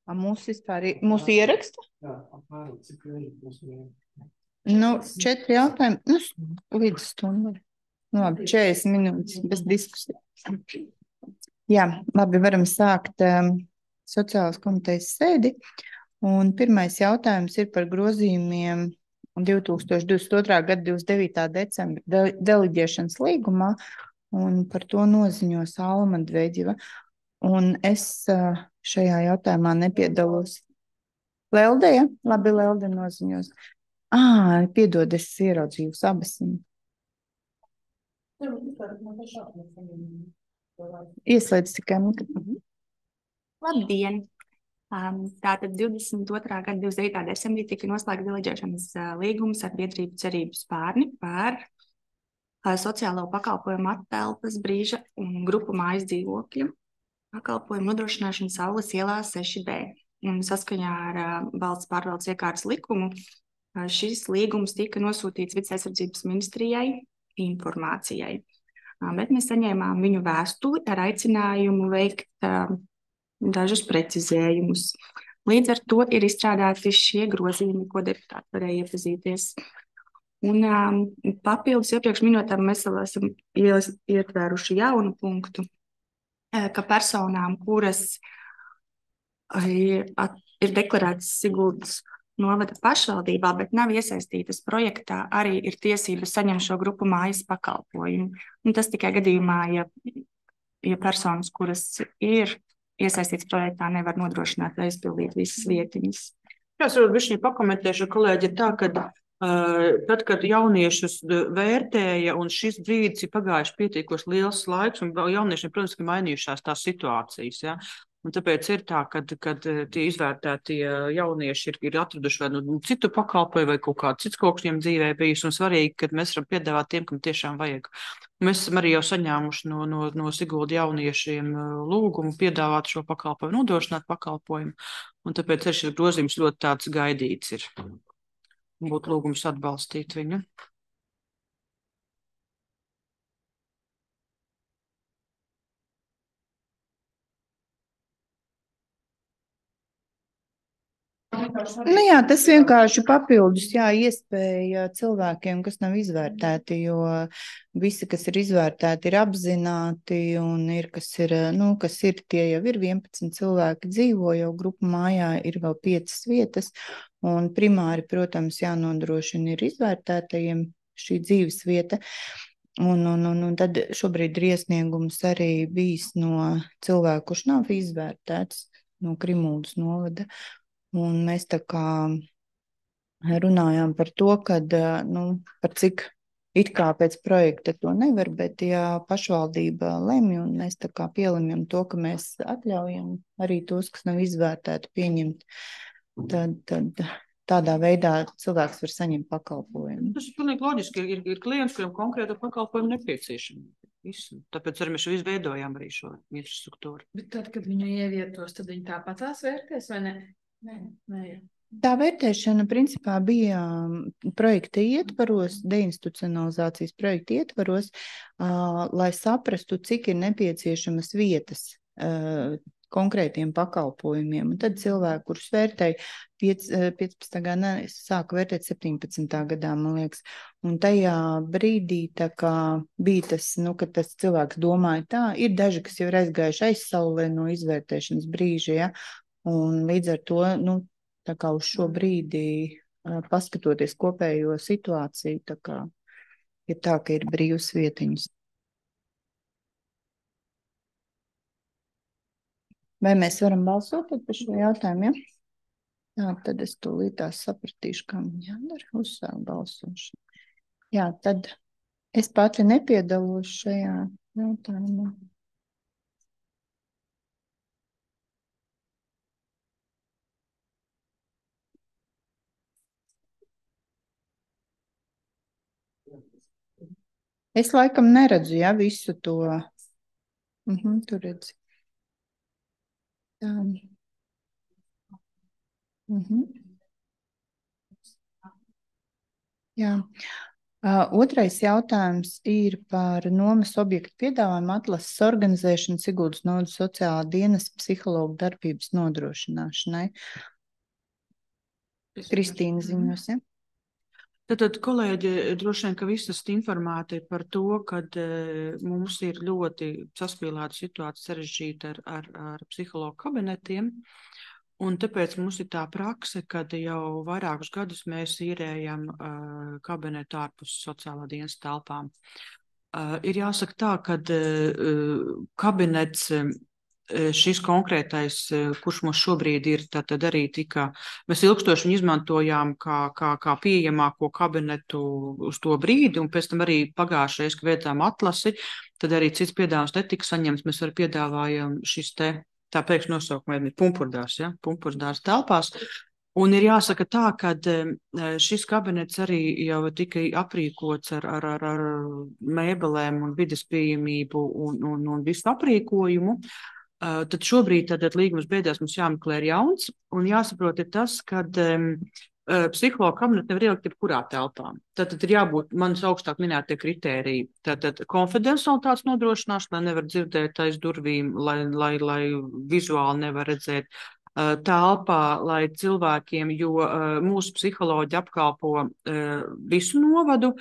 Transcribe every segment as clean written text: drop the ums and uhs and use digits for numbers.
Mūsu ieraksta? Jā, apmēram cik mums ir. 4 jautājumi, līdz stundai. Labi, 40 minūtes bez diskusijas. Jā, labi, varam sākt sociālās komitejas sēdi. Un pirmais jautājums ir par grozījumiem 2022. gada 29. decembra deliģēšanas līgumā, un par to noziņos Alma Dveģiva. Un es šajā jautājumā nepiedalos. Lelde, ja? Labi, Lelde noziņos. Piedod, es ieraudzīju abas. Ieslēdz tikai mikrofonu. Labdien! Tātad 22. gada 29. decembrī tika noslēgts deliģēšanas līgums ar biedrību Cerību Spārni par sociālo pakalpojumu attelpas brīža un grupu mājas dzīvokļu pakalpojumu nodrošināšanu Saules ielā 6B. Un saskaņā ar valsts pārvaldes iekārtas likumu šis līgums tika nosūtīts Vides aizsardzības ministrijai informācijai. Bet mēs saņēmām viņu vēstuli ar aicinājumu veikt dažus precizējumus. Līdz ar to ir izstrādāti šie grozījumi, ko deputāti varēja iepazīties. Un papildus iepriekš minētām mēs vēl esam ietvēruši jaunu punktu, ka personām, kuras ir deklarētas Siguldas novada pašvaldībā, bet nav iesaistītas projektā, arī ir tiesības saņemt šo grupu mājas pakalpojumu. Un tas tikai gadījumā, ja personas, kuras ir iesaistīts projektā, nevar nodrošināt vai izpildīt visas vietiņas. Es varbūt bišķiņ pakomentēšu, kolēģi, tā, ka tad, kad jauniešus vērtēja, un šis brīdis ir pagājuši pietiekos liels laiks, un jauniešiem, protams, ka mainījušās tās situācijas, ja? Un tāpēc ir tā, kad tie izvērtētie jaunieši ir atraduši vai citu pakalpojumu vai kaut kādu cits kaut kas viņiem dzīvē bijis, un svarīgi, kad mēs varam piedāvāt tiem, kam tiešām vajag. Mēs esam arī jau saņēmuši no Sigulda jauniešiem lūgumu piedāvāt šo pakalpojumu, nodrošināt pakalpojumu, un tāpēc arī šis grozījums ļoti tāds gaidīts ir. Būtu lūgums atbalstīt viņu. Jā, tas vienkārši papildus, iespēja cilvēkiem, kas nav izvērtēti, jo visi, kas ir izvērtēti, ir apzināti, un kas ir, tie jau ir 11 cilvēki dzīvo, jau grupu mājā ir vēl 5 vietas, un primāri, protams, jānodrošina ir izvērtētajiem šī dzīves vieta. Un tad šobrīd ir iesniegums arī bijis no cilvēku, kurš nav izvērtēts, no Krimuldas novada. Un mēs tā kā runājām par to, kad, par cik it kā pēc projekta to nevar, bet ja pašvaldība lemj, un mēs tā kā pielemjam to, ka mēs atļaujam arī tos, kas nav izvērtēti, pieņemt, tad tādā veidā cilvēks var saņemt pakalpojumu. Tas ir pilnīgi loģiski, ir klients, kuram konkrēta pakalpojumu nepieciešama. Tāpēc arī mēs izveidojām arī šo infrastruktūru. Bet tad, kad viņu ievietos, tad viņi tāpat tās vērtēs, vai ne? Nē. Tā vērtēšana principā bija projekta ietvaros, deinstitucionalizācijas projekta ietvaros, lai saprastu, cik ir nepieciešamas vietas konkrētiem pakalpojumiem. Un tad cilvēki, kurus vērtēja 15. gadā, sāka vērtēt 17. gadā, man liekas. Un tajā brīdī tā kā bija tas, ka tas cilvēks domāja tā, ir daži, kas jau ir aizgājuši aizsaulē no izvērtēšanas brīža, ja? Un līdz ar to, tā kā uz šo brīdi, paskatoties kopējo situāciju, tā kā ir tā, ka ir brīvas vietiņas. Vai mēs varam balsot par šo jautājumu, ja? Jā, tad es tūlītās sapratīšu, kā man jādara, uzsākt balsošanu. Jā, tad es pati nepiedalos šajā jautājumā. Es laikam neredzu, visu to. Tur redzi. Tā. Jā. Otrais jautājums ir par nomas objektu piedāvājumu atlases organizēšanu Siguldas novadas sociālā dienesta psihologu darbības nodrošināšanai. Kristīna ziņos, ja? Tad, kolēģi, droši vien, ka visi esat informēti par to, ka mums ir ļoti saspīlēta situācija sarežģīta ar psihologu kabinetiem. Un tāpēc mums ir tā prakse, kad jau vairākus gadus mēs īrējam kabinetu ārpus sociālā dienesta telpām. Ir jāsaka tā, ka kabinets, šis konkrētais, kurš mums šobrīd ir, tad arī mēs ilgstoši viņu izmantojām kā pieejamāko kabinetu uz to brīdi, un pēc tam arī pagājušais, kad veicām atlasi, tad arī cits piedāvājums netika saņemts, mēs arī piedāvājam šis tā pēkšņi nosaukuma ir Pumpurdārs, ja? Pumpurdārs telpās. Un ir jāsaka tā, ka šis kabinets arī jau tika aprīkots ar mēbelēm un vides pieejamību un visu aprīkojumu. Tad šobrīd līgums beidzās, mums jāmeklē ir jauns, un jāsaprot ir tas, ka psihologa kabinetu nevar ielikt jebkurā telpā. Tad ir jābūt manas augstāk minētie kritēriji. Tad konfidencialitātes nodrošināšana, lai nevar dzirdēt aiz durvīm, lai vizuāli nevar redzēt telpā, lai cilvēkiem, jo mūsu psiholoģi apkalpo visu novadu,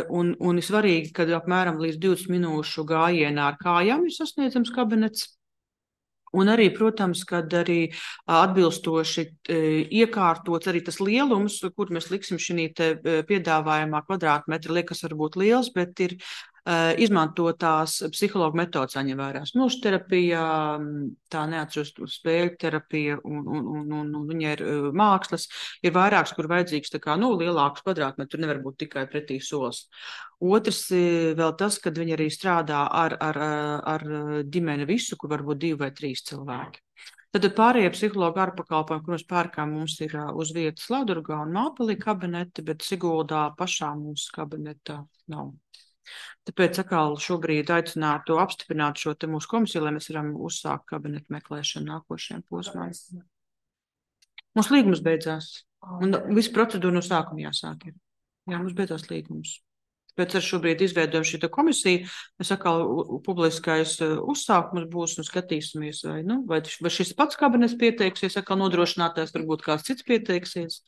un ir svarīgi, ka apmēram līdz 20 minūšu gājienā ar kājām ir sasniedzams kabinets. Un arī, protams, kad arī atbilstoši iekārtots arī tas lielums, kur mēs liksim šī piedāvājumā kvadrātmetri, liekas varbūt liels, bet ir izmantotās psihologa metodas jāņem vērā. Smilšu terapija, tā neatceros spēļu terapija un viņa ir mākslas, ir vairāks, kur vajadzīgs lielāks kvadrātmetri, tur nevar būt tikai pretī solis. Otrs vēl tas, kad viņi arī strādā ar ģimeni visu, kur varbūt 2 vai 3 cilvēki. Tad pārējie psihologi ārpakalpojumi, kur mēs pērkām, mums ir uz vietas Laudurgā un Māpelī kabineti, bet Siguldā pašā mūsu kabineta nav. Tāpēc atkal šobrīd aicinātu apstiprināt šo te mūsu komisiju, lai mēs varam uzsākt kabinetu meklēšanu nākošajiem posmām. Mums līgums beidzās. Un visu procedūru no sākuma jāsāk ir. Jā, mums beidzās līgums. Tāpēc ar šobrīd izveidojam šī komisiju. Mēs atkal publiskais uzsākums būs un skatīsimies, vai šis pats kabinets pieteiksies, atkal nodrošinātājs, varbūt kāds cits pieteiksies.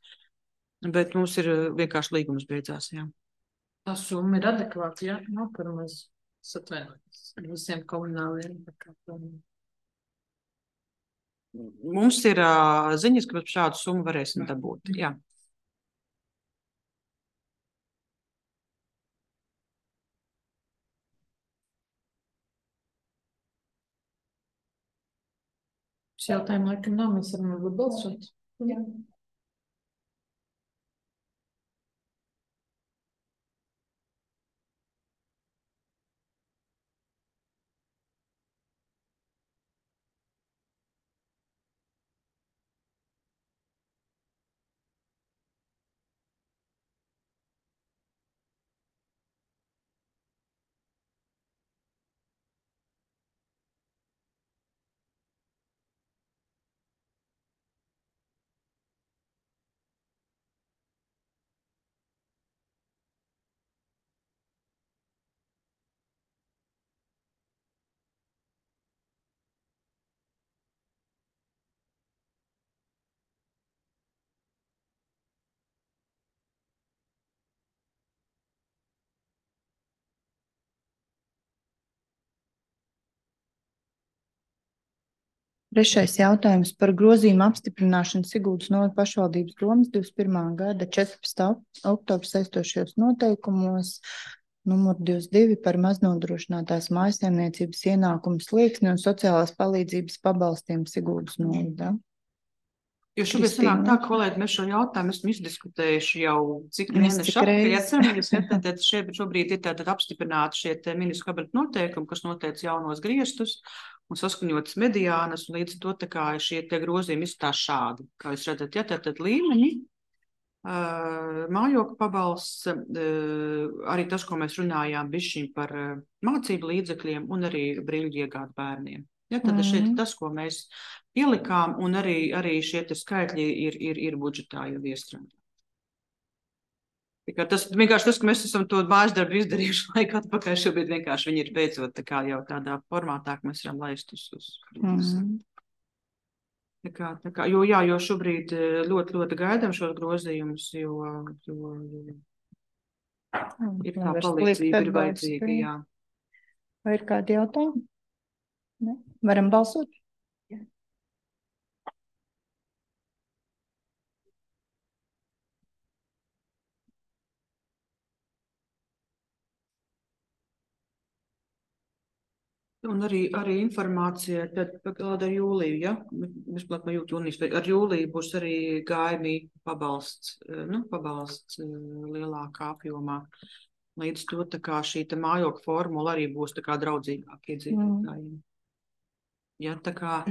Bet mums ir vienkārši līgums beidzās, jā. Tā summa ir adekvāta, jā? Nav par maz atvainojas visiem komunāliem pakalpojumiem. Mums ir ziņas, ka mēs šādu summu varēsim dabūt, jā. Šis jautājumu laikam nav, mēs varam varbūt balsot. Jā. Trešais jautājums par grozījumu apstiprināšanu Siguldas novada pašvaldības domes 21. gada 14. oktobra saistošajos noteikumos numur 22 par maznodrošinātās mājsaimniecības ienākumu slieksni un sociālās palīdzības pabalstiem Siguldas novadā. Jo šobrīd sanāk tā, kolēģi, mēs šo jautājumu esam izdiskutējuši jau cik mēneši atpēc. Tad šobrīd ir tātad apstiprināti šie ministru kabineta noteikumi, kas noteica jaunos griestus un saskaņotas mediānas, un līdz to tā kā šie tie grozījumi izskatās šādi. Kā jūs redzat, ja tātad līmeņi, mājokļu pabalsts, arī tas, ko mēs runājām bišķiņ par mācību līdzekļiem un arī brīļu iegādu bērniem. Ja, tad šeit tas, ko mēs ielikām, un arī šie skaitļi ir budžetā jau iestrādāti. Tas vienkārši tas, ka mēs esam to mājas darbu izdarījuši laiku atpakaļ, šobrīd vienkārši viņi ir beidzot tā kā jau tādā formātā, ka mēs varam laist uz. Jo šobrīd ļoti, ļoti gaidām šos grozījumus, jo ir tā palīdzība, ir vajadzīga, jā. Vai ir kādi jautājumi? Ne? Varam balsot? Un arī informācija tad ar jūliju, ja? Vispār jūnijas, ar jūliju būs arī GMI pabalsts lielākā apjomā. Līdz to tā kā šī mājokļa formula arī būs tā kā draudzīgāk iedzīvotājiem. Ja, tā kā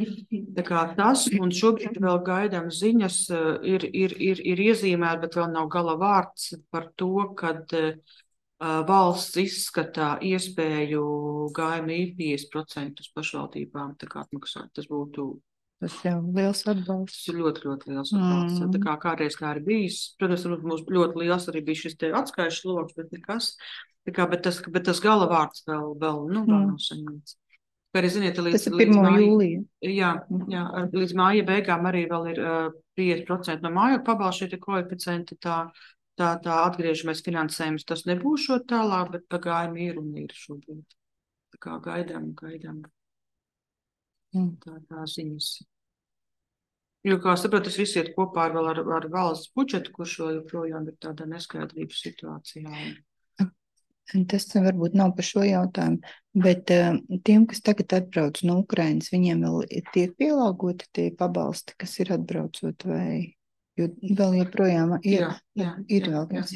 tas, un šobrīd vēl gaidām ziņas, ir iezīmēta, bet vēl nav gala vārds par to, kad valsts izskatā iespēju GMI 50% pašvaldībām atmaksāt. Tas būtu jau liels atbalsts. Tas ir ļoti, ļoti liels atbalsts. Tā kā kādreiz tā ir bijis. Protams, mums ļoti liels arī bija šis te atskaišu sloks, bet nekas. Bet tas gala vārds vēl nav saņemts. Kā arī ziniet, tas ir 1. jūlija. Jā, līdz māja beigām arī vēl ir 50% no mājokļa pabalsta šie koeficienti, tā atgriežamies finansējums. Tas nebūs šo tālāk, bet pagājumi ir šobrīd. Tā kā gaidām. Tā ziņas. Jo, kā saprot, tas viss iet kopā ar valsts budžetu, kurš joprojām ir tādā neskaidrības situācijā. Tas varbūt nav par šo jautājumu, bet tiem, kas tagad atbrauc no Ukrainas, viņiem vēl tiek pielāgoti tie pabalsti, kas ir atbraucot vai... Jo vēl joprojām ir vēl kāds.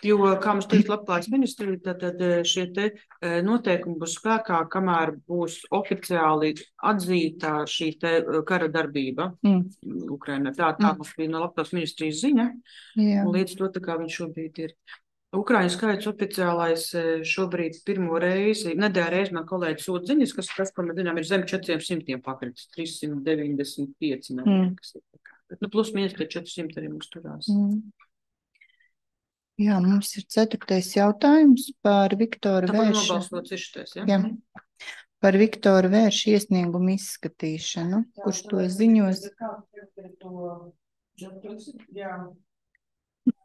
Jo, kā mums teica Labklājības ministrija, tad šie te noteikumi būs spēkā, kamēr būs oficiāli atzīta šī te kara darbība Ukrainā. Tā mums bija no Labklājības ministrijas ziņa, un līdz to tā kā viņš šobrīd ir. Ukraiņu skaits oficiālais šobrīd pirmo reizi, nedēļa reizi man kolēģis sūta ziņas, kas, ko mēs zinām, ir zem 400 pakritis, 395, kas ir. Plus mīnus 400 arī mums turās. Jā, mums ir 4. jautājums par Viktoru Vēršu. Nobalsots ir šitais, ja? Jā. Par Viktoru Vēršu iesniegumu izskatīšanu, kurš to ziņos.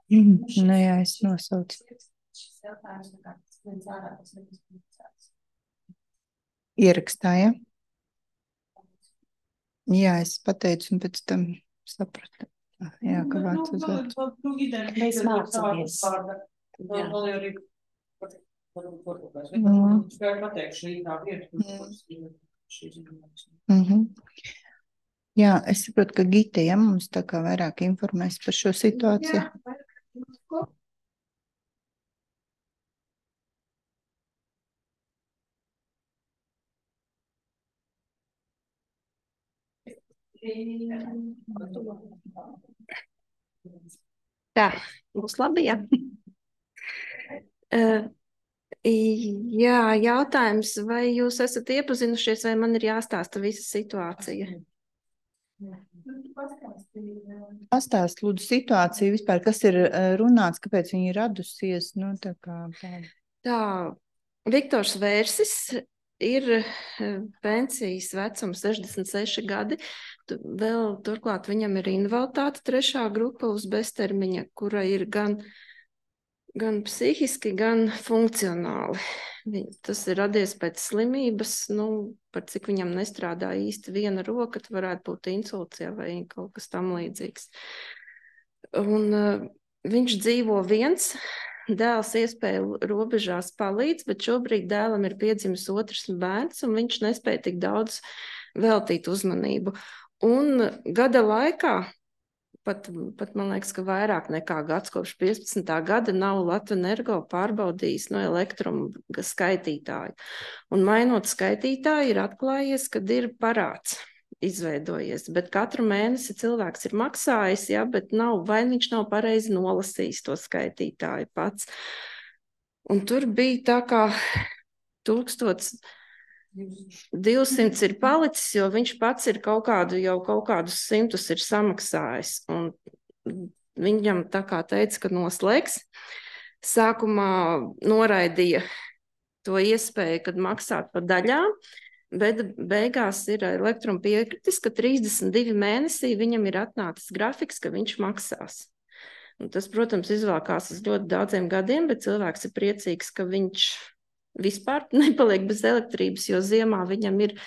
Jā, es nosaucu. Ierakstā, ja? Jā, es pateicu un pēc tam sapratu. Jā, ka vārds uz vārds. Mēs mācāmies. Jā, es saprotu, ka Gita, ja mums tā kā vairāk informēs par šo situāciju. Tā, būs labi, jā. Jā, jautājums, vai jūs esat iepazinušies, vai man ir jāstāsta visa situācija? Pastāst, lūdzu, situāciju vispār, kas ir runāts, kāpēc viņa ir radusies, Tā, Viktors Vērsis ir pensijas vecums 66 gadi, vēl turklāt viņam ir invaliditāte 3. grupa uz beztermiņa, kura ir gan psihiski, gan funkcionāli. Tas ir radies pēc slimības, par cik viņam nestrādā īsti viena roka, tad varētu būt insults vai kaut kas tam līdzīgs. Un viņš dzīvo viens, dēls iespēju robežās palīdz, bet šobrīd dēlam ir piedzimis 2. bērns, un viņš nespēja tik daudz veltīt uzmanību. Un gada laikā, pat man liekas, ka vairāk nekā gads kopš 15. gada nav Latvenergo pārbaudījis no elektruma skaitītāju. Un mainot skaitītāju ir atklājies, kad ir parāds izveidojies, bet katru mēnesi cilvēks ir maksājis, ja, bet vai viņš nav pareizi nolasījis to skaitītāju pats. Un tur bija tā kā 1200 ir palicis, jo viņš pats ir kaut kādus 100 ir samaksājis. Un viņam tā kā teica, ka noslēgs. Sākumā noraidīja to iespēju, kad maksāt par daļām, bet beigās ir Elektrum piekritis, ka 32 mēnesī viņam ir atnācis grafiks, ka viņš maksās. Un tas, protams, izvēlkās uz ļoti daudziem gadiem, bet cilvēks ir priecīgs, ka viņš vispār nepaliek bez elektrības, jo ziemā viņam ir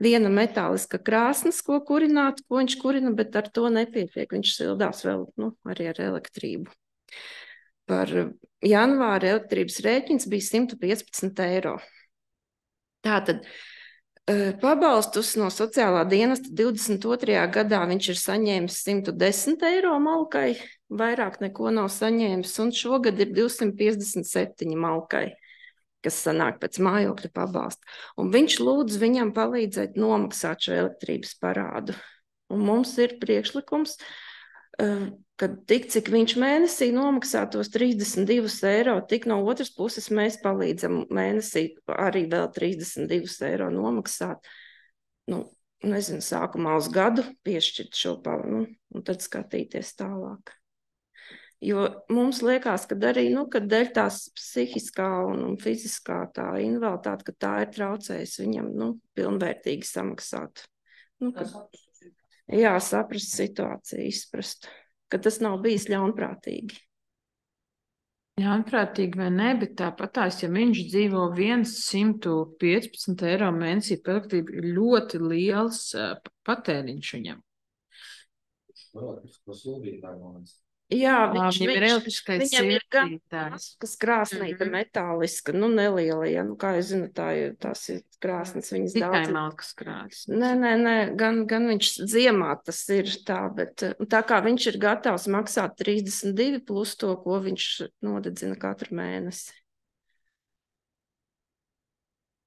viena metāliska krāsnes, ko kurināt, ko viņš kurina, bet ar to nepietiek. Viņš sildās vēl arī ar elektrību. Par janvāra elektrības rēķins bija 115 eiro. Tātad pabalstus no sociālā dienesta 22. gadā viņš ir saņēmis 110 eiro malkai, vairāk neko nav saņēmis, un šogad ir 257 malkai, kas sanāk pēc mājokļa pabalsta. Un viņš lūdz viņam palīdzēt nomaksāt šo elektrības parādu. Un mums ir priekšlikums, ka tik, cik viņš mēnesī nomaksā tos 32 eiro, tik no otras puses mēs palīdzam mēnesī arī vēl 32 eiro nomaksāt. Nezinu, sākumā uz gadu piešķirt šo un tad skatīties tālāk. Jo mums liekas, ka arī, kad dēļ tās psihiskā un fiziskā tā invaliditāte, ka tā ir traucējusi viņam, pilnvērtīgi samaksāt. Saprast situāciju, izprast, ka tas nav bijis ļaunprātīgi. Ļaunprātīgi vai ne, bet tāpatās, ja viņš dzīvo 115 eiro mēnesī par elektrību, ir ļoti liels patēriņš viņam. Jā, viņam ir elektriskais viņam ir gan siltītājs. kas krāsnīta metāliska, neliela, ja, kā es zinu, tās ir krāsnes, viņas Tikai daudz. malkas krāsnes. Nē, gan viņš ziemā tas ir tā, bet tā kā viņš ir gatavs maksāt 32 plus to, ko viņš nodedzina katru mēnesi.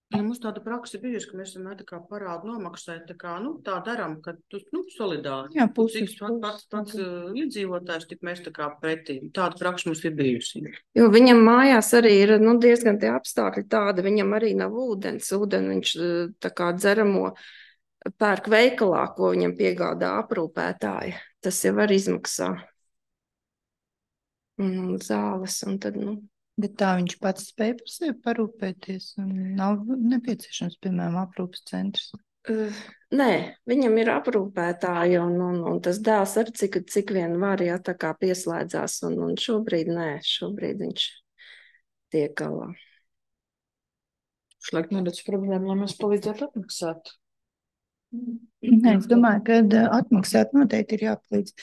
Ja mums tāda praksa bijusi, ka mēs vienmēr tā kā parādu nomaksāt, tā daram, ka solidāri. Jā, puses. Pats iedzīvotājs, tik mēs tā kā pretī. Tāda praksa mums ir bijusi. Jo viņam mājās arī ir diezgan tie apstākļi tādi, viņam arī nav ūdens. Ūdeni viņš tā kā dzeramo pērk veikalā, ko viņam piegādā aprūpētāji. Tas jau var izmaksā. Zāles un tad, Bet tā viņš pats spēja par sevi parūpēties un nav nepieciešams, piemēram, aprūpas centrs. Nē, viņam ir aprūpētāji un tas dēls arī cik vien var, ja tā kā pieslēdzās un šobrīd viņš tiek galā. Šlaik neredz problēmu, lai mēs palīdzētu atmaksāt. Nē, es domāju, ka atmaksāt noteikti ir jāpalīdz.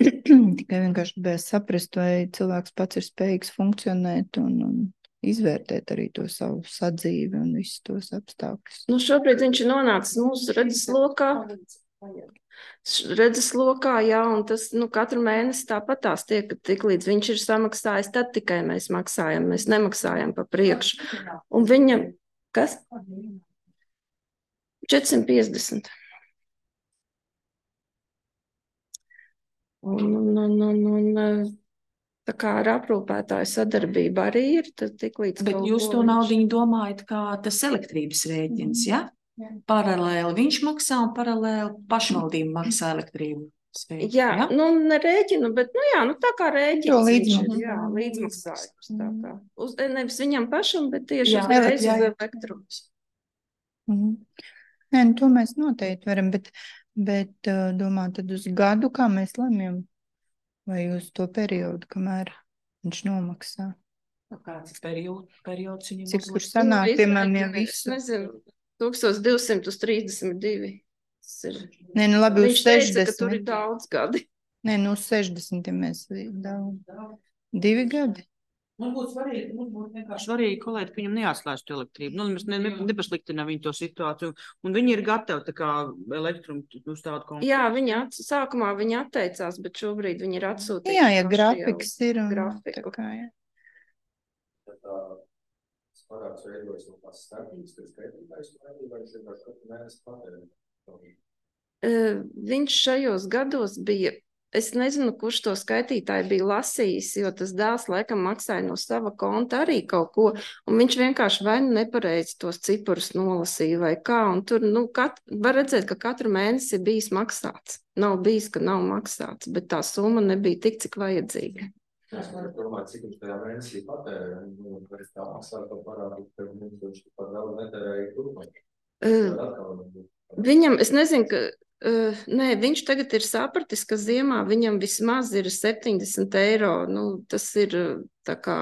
Tikai vienkārši gribēju saprast, vai cilvēks pats ir spējīgs funkcionēt un izvērtēt arī to savu sadzīvi un visus tos apstākļus. Šobrīd viņš ir nonācis mūsu redzeslokā, jā, un tas katru mēnesi tāpat tās tiek, tik līdz viņš ir samaksājis, tad tikai mēs maksājam, mēs nemaksājam pa priekšu. Un viņam, kas? 450. Tā kā ar aprūpētāju sadarbība arī ir, tad tik līdz Bet jūs to naudiņu domājat kā tas elektrības rēķins, ja? Paralēli viņš maksā un paralēli pašvaldība maksā elektrību. Jā, ne rēķinu, bet, tā kā rēķins. Jā, līdzmaksājums. Tā kā. Nevis viņam pašam, bet tieši uzreiz uz elektrums. Nē, to mēs noteikti varam, bet domā tad uz gadu, kā mēs lemjam, vai uz to periodu, kamēr viņš nomaksā. Kāds periods viņam? Cik kur sanāk, piemēram, ja visu? Nezinu, 1200 uz 32. Nē, labi, uz 60. Viņš teica, ka tur ir daudz gadi. Nē, uz 60, ja mēs daudz. 2 gadi. Mums būtu vienkārši svarīgi, kolēģi, ka viņam neatslēgtu elektrību. Mēs nepasliktinām viņu to situāciju. Un viņi ir gatavi tā kā elektrumu uz tādu konfliktu. Jā, sākumā viņi atteicās, bet šobrīd viņi ir atsūtījuši. Jā, grafiks ir. Grafiku. Tā kā, jā. Tas parāds veidojas no tās starpības, kas skaitītājs vai viņš vienkārši katru mēnesi patērē? Viņš šajos gados bija Es nezinu, kurš to skaitītāju bija lasījis, jo tas dēls laikam maksāja no sava konta arī kaut ko, un viņš vienkārši vai nu nepareizi tos ciparus nolasīja vai kā, un tur, var redzēt, ka katru mēnesi ir bijis maksāts. Nav bijis, ka nav maksāts, bet tā summa nebija tik, cik vajadzīga. Es varu domāt, cik viņš tajā mēnesī patērē, un var tā maksāt to parādu, ka viņš pat vēl netērēja turpāk. Viņam, es nezinu, ka nē, viņš tagad ir sapratis, ka ziemā viņam vismaz ir 70 eiro. Tas ir tā kā,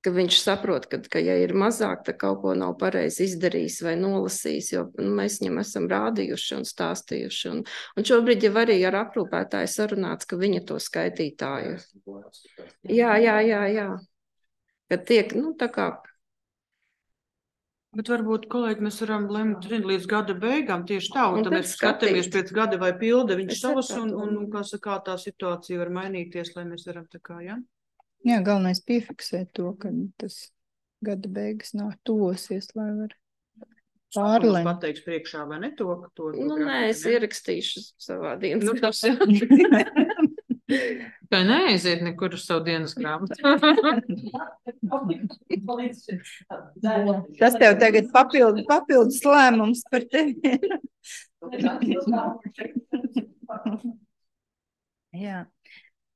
ka viņš saprot, ka ja ir mazāk, tad kaut ko nav pareizi izdarījis vai nolasījis, jo mēs viņam esam rādījuši un stāstījuši. Un šobrīd jau arī ar aprūpētāju sarunāts, ka viņa to skaitītāju. Jā. Kad tiek, tā kā. Bet varbūt, kolēģi, mēs varam lemt līdz gada beigām tieši tā, un tad mēs skatīt. skatāmies pēc gada vai pilda viņš Es savus, sapratu. kā tā situācija var mainīties, lai mēs varam tā kā, jā? Jā, galvenais piefiksēt to, ka tas gada beigas nav tuvosies, lai var Mums pārlemt. pateiks priekšā vai ne to, ka to Nē, es ierakstīšu savā dienas tas Tā neaiziet nekur uz savu dienas grāmatu. Tas tev tagad papildus lēmums par tevi. Jā.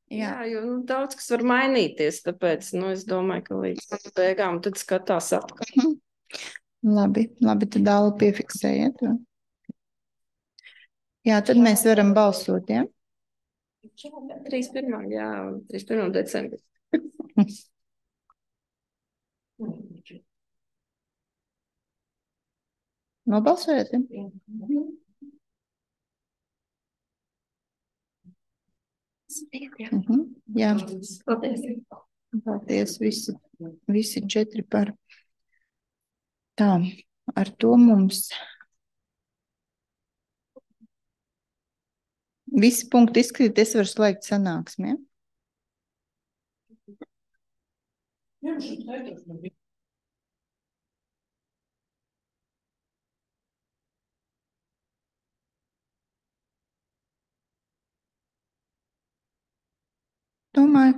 Jā, jo daudz kas var mainīties, tāpēc es domāju, ka līdz gada beigām tad skatās atkal. Labi, tad Dāla piefiksējiet. Jā, tad mēs varam balsot, jā? 31. Jā, 31. decembris. Nobalsojat, jā? Jā. Paldies, visi 4 par. Tā, ar to mums visi punkti izkrīt, es varu slēgt sanāksmi, ja? Domāju,